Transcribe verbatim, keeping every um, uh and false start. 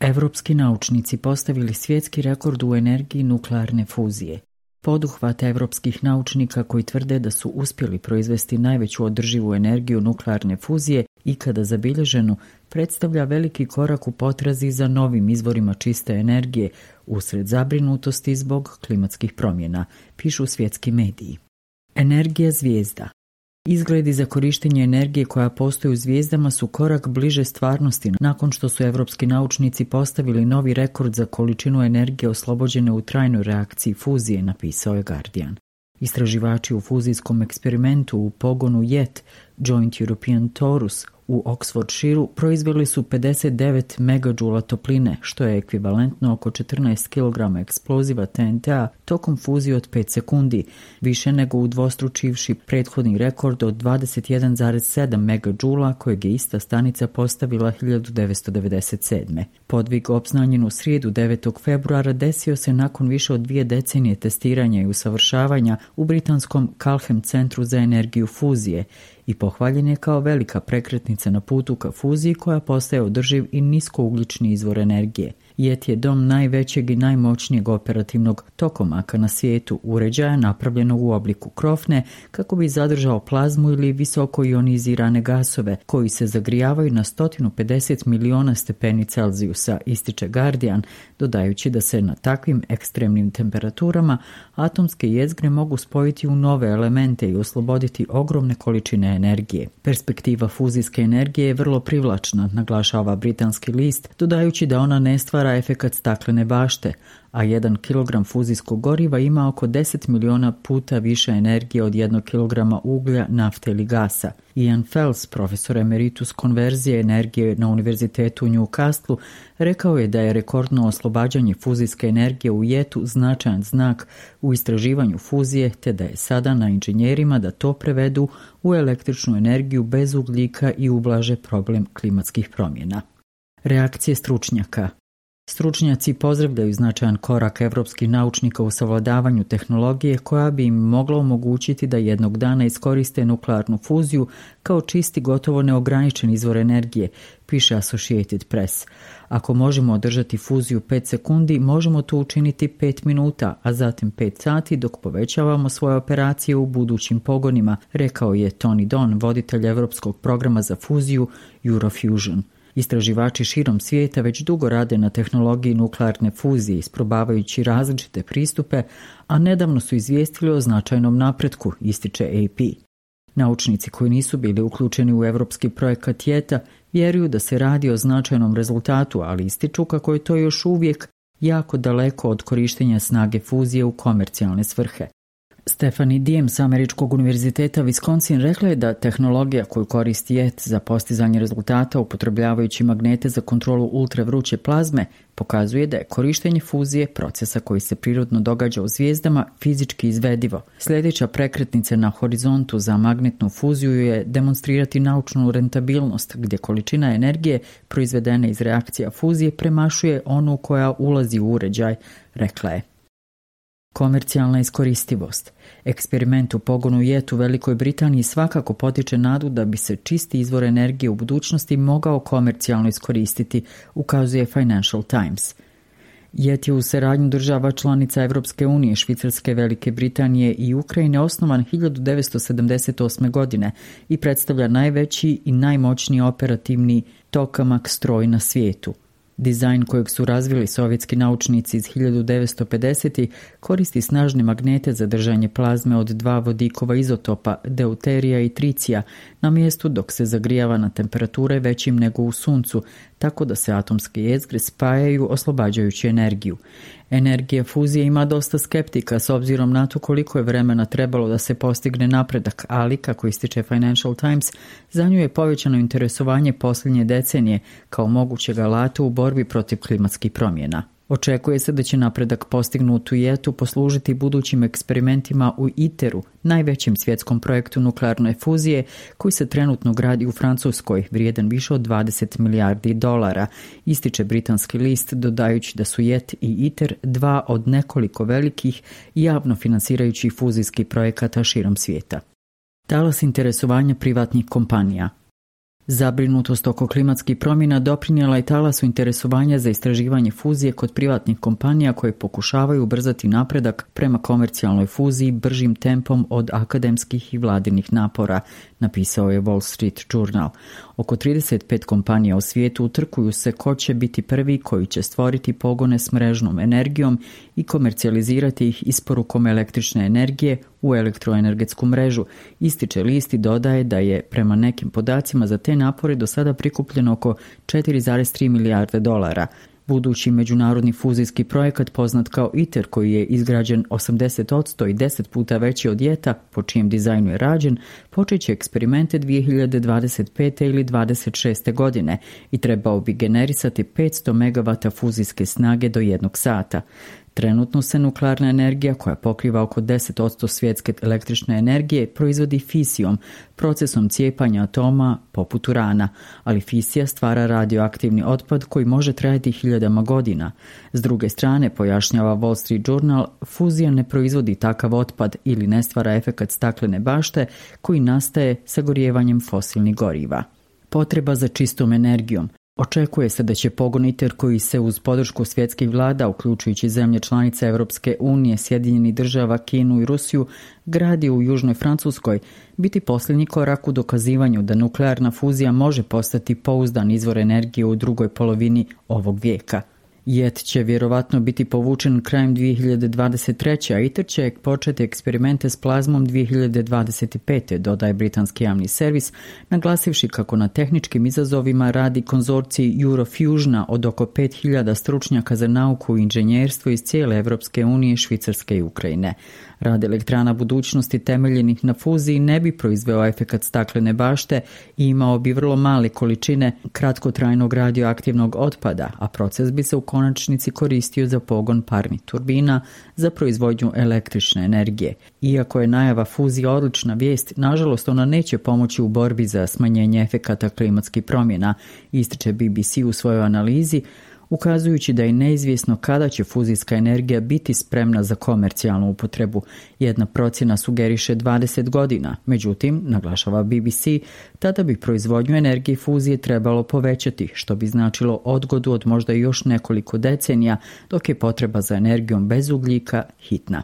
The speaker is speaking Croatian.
Evropski naučnici postavili svjetski rekord u energiji nuklearne fuzije. Poduhvat evropskih naučnika koji tvrde da su uspjeli proizvesti najveću održivu energiju nuklearne fuzije ikada zabilježenu predstavlja veliki korak u potrazi za novim izvorima čiste energije usred zabrinutosti zbog klimatskih promjena, pišu svjetski mediji. Energija zvijezda. Izgledi za korištenje energije koja postoji u zvijezdama su korak bliže stvarnosti nakon što su evropski naučnici postavili novi rekord za količinu energije oslobođene u trajnoj reakciji fuzije, napisao je Guardian. Istraživači u fuzijskom eksperimentu u pogonu Jet, Joint European Torus, u Oxfordshireu proizveli su pedeset devet megadžula topline, što je ekvivalentno oko četrnaest kilograma eksploziva T N T-a tokom fuzije od pet sekundi, više nego udvostručivši prethodni rekord od dvadeset jedan zarez sedam megadžula kojeg je ista stanica postavila hiljadu devetsto devedeset sedme. Podvig obznanjen u srijedu devetog februara desio se nakon više od dvije decenije testiranja i usavršavanja u britanskom Culham centru za energiju fuzije i pohvaljen je kao velika prekretnica na putu ka fuziji koja postaje održiv i niskougljični izvor energije. Jet je dom najvećeg i najmoćnijeg operativnog tokomaka na svijetu, uređaja napravljenog u obliku krofne kako bi zadržao plazmu ili visoko ionizirane gasove koji se zagrijavaju na sto pedeset miliona stepeni Celzijusa, ističe Guardian, dodajući da se na takvim ekstremnim temperaturama atomske jezgre mogu spojiti u nove elemente i osloboditi ogromne količine energije. Perspektiva fuzijske energije je vrlo privlačna, naglašava britanski list, dodajući da ona ne stvara efekat staklene bašte, a jedan kilogram fuzijskog goriva ima oko deset miliona puta više energije od jednog kilograma uglja, nafte ili gasa. Ian Fels, profesor emeritus konverzije energije na Univerzitetu u Newcastlu, rekao je da je rekordno oslobađanje fuzijske energije u Jetu značajan znak u istraživanju fuzije, te da je sada na inženjerima da to prevedu u električnu energiju bez ugljika i ublaže problem klimatskih promjena. Reakcije stručnjaka. Stručnjaci pozdravljaju značajan korak evropskih naučnika u savladavanju tehnologije koja bi im mogla omogućiti da jednog dana iskoriste nuklearnu fuziju kao čisti gotovo neograničen izvor energije, piše Associated Press. Ako možemo održati fuziju pet sekundi, možemo to učiniti pet minuta, a zatim pet sati dok povećavamo svoje operacije u budućim pogonima, rekao je Tony Don, voditelj Evropskog programa za fuziju Eurofusion. Istraživači širom svijeta već dugo rade na tehnologiji nuklearne fuzije, isprobavajući različite pristupe, a nedavno su izvijestili o značajnom napretku, ističe A P. Naučnici koji nisu bili uključeni u evropski projekat Jeta vjeruju da se radi o značajnom rezultatu, ali ističu kako je to još uvijek jako daleko od korištenja snage fuzije u komercijalne svrhe. Stephanie Diem s Američkog univerziteta Wisconsin rekla je da tehnologija koju koristi Jet za postizanje rezultata upotrebljavajući magnete za kontrolu ultravruće plazme pokazuje da je korištenje fuzije, procesa koji se prirodno događa u zvijezdama, fizički izvedivo. Sljedeća prekretnica na horizontu za magnetnu fuziju je demonstrirati naučnu rentabilnost, gdje količina energije proizvedena iz reakcija fuzije premašuje onu koja ulazi u uređaj, rekla je. Komercijalna iskoristivost. Eksperiment u pogonu Jet u Velikoj Britaniji svakako potiče nadu da bi se čisti izvor energije u budućnosti mogao komercijalno iskoristiti, ukazuje Financial Times. Jet je u saradnju država članica Evropske unije, Švicarske, Velike Britanije i Ukrajine osnovan hiljadu devetsto sedamdeset osme. godine i predstavlja najveći i najmoćniji operativni tokamak stroj na svijetu. Dizajn kojeg su razvili sovjetski naučnici iz hiljadu devetsto pedesetih koristi snažne magnete za držanje plazme od dva vodikova izotopa, deuterija i tricija, na mjestu dok se zagrijava na temperature većim nego u suncu, tako da se atomske jezgre spajaju oslobađajući energiju. Energija fuzije ima dosta skeptika s obzirom na to koliko je vremena trebalo da se postigne napredak, ali, kako ističe Financial Times, za nju je povećano interesovanje posljednje decenije kao mogućeg alata u borbi protiv klimatskih promjena. Očekuje se da će napredak postignut u Jetu poslužiti budućim eksperimentima u ITER-u, najvećem svjetskom projektu nuklearne fuzije koji se trenutno gradi u Francuskoj, vrijedan više od dvadeset milijardi dolara, ističe britanski list, dodajući da su Jet i ITER dva od nekoliko velikih javno finansirajućih fuzijskih projekata širom svijeta. Talas interesovanja privatnih kompanija. Zabrinutost oko klimatskih promjena doprinijela je talasu interesovanja za istraživanje fuzije kod privatnih kompanija koje pokušavaju ubrzati napredak prema komercijalnoj fuziji bržim tempom od akademskih i vladinih napora, napisao je Wall Street Journal. Oko trideset pet kompanija u svijetu utrkuju se ko će biti prvi koji će stvoriti pogone s mrežnom energijom i komercijalizirati ih isporukom električne energije u elektroenergetsku mrežu. Ističe list i dodaje da je prema nekim podacima za te napore do sada prikupljeno oko četiri zarez tri milijarde dolara. Budući međunarodni fuzijski projekat poznat kao ITER, koji je izgrađen osamdeset posto i deset puta veći od JET-a, po čijem dizajnu je rađen, počet će eksperimente dvije hiljade dvadeset pete ili dvadeset šeste godine i trebao bi generisati petsto megavata fuzijske snage do jednog sata. Trenutno se nuklearna energija, koja pokriva oko deset posto svjetske električne energije, proizvodi fisijom, procesom cijepanja atoma poput urana, ali fisija stvara radioaktivni otpad koji može trajati hiljadama godina. S druge strane, pojašnjava Wall Street Journal, fuzija ne proizvodi takav otpad ili ne stvara efekat staklene bašte koji nastaje sagorijevanjem fosilnih goriva. Potreba za čistom energijom. Očekuje se da će pogon ITER, koji se uz podršku svjetskih vlada, uključujući zemlje članice Europske unije, Sjedinjenih država, Kinu i Rusiju, gradi u Južnoj Francuskoj, biti posljednji korak u dokazivanju da nuklearna fuzija može postati pouzdan izvor energije u drugoj polovini ovog vijeka. JET će vjerovatno biti povučen krajem dvije hiljade dvadeset treće. a ITER će početi eksperimente s plazmom dvije hiljade dvadeset pete. dodaje britanski javni servis, naglasivši kako na tehničkim izazovima radi konzorcij Eurofusiona od oko pet hiljada stručnjaka za nauku i inženjerstvo iz cijele Evropske unije, Švicarske i Ukrajine. Rad elektrana budućnosti temeljenih na fuziji ne bi proizveo efekat staklene bašte i imao bi vrlo male količine kratkotrajnog radioaktivnog otpada, a proces bi se u konačnici koristio za pogon parnih turbina za proizvodnju električne energije. Iako je najava fuzije odlična vijest, nažalost ona neće pomoći u borbi za smanjenje efekata klimatskih promjena, ističe B B C u svojoj analizi, ukazujući da je neizvjesno kada će fuzijska energija biti spremna za komercijalnu upotrebu. Jedna procjena sugeriše dvadeset godina, međutim, naglašava B B C, tada bi proizvodnju energije fuzije trebalo povećati, što bi značilo odgodu od možda još nekoliko decenija, dok je potreba za energijom bez ugljika hitna.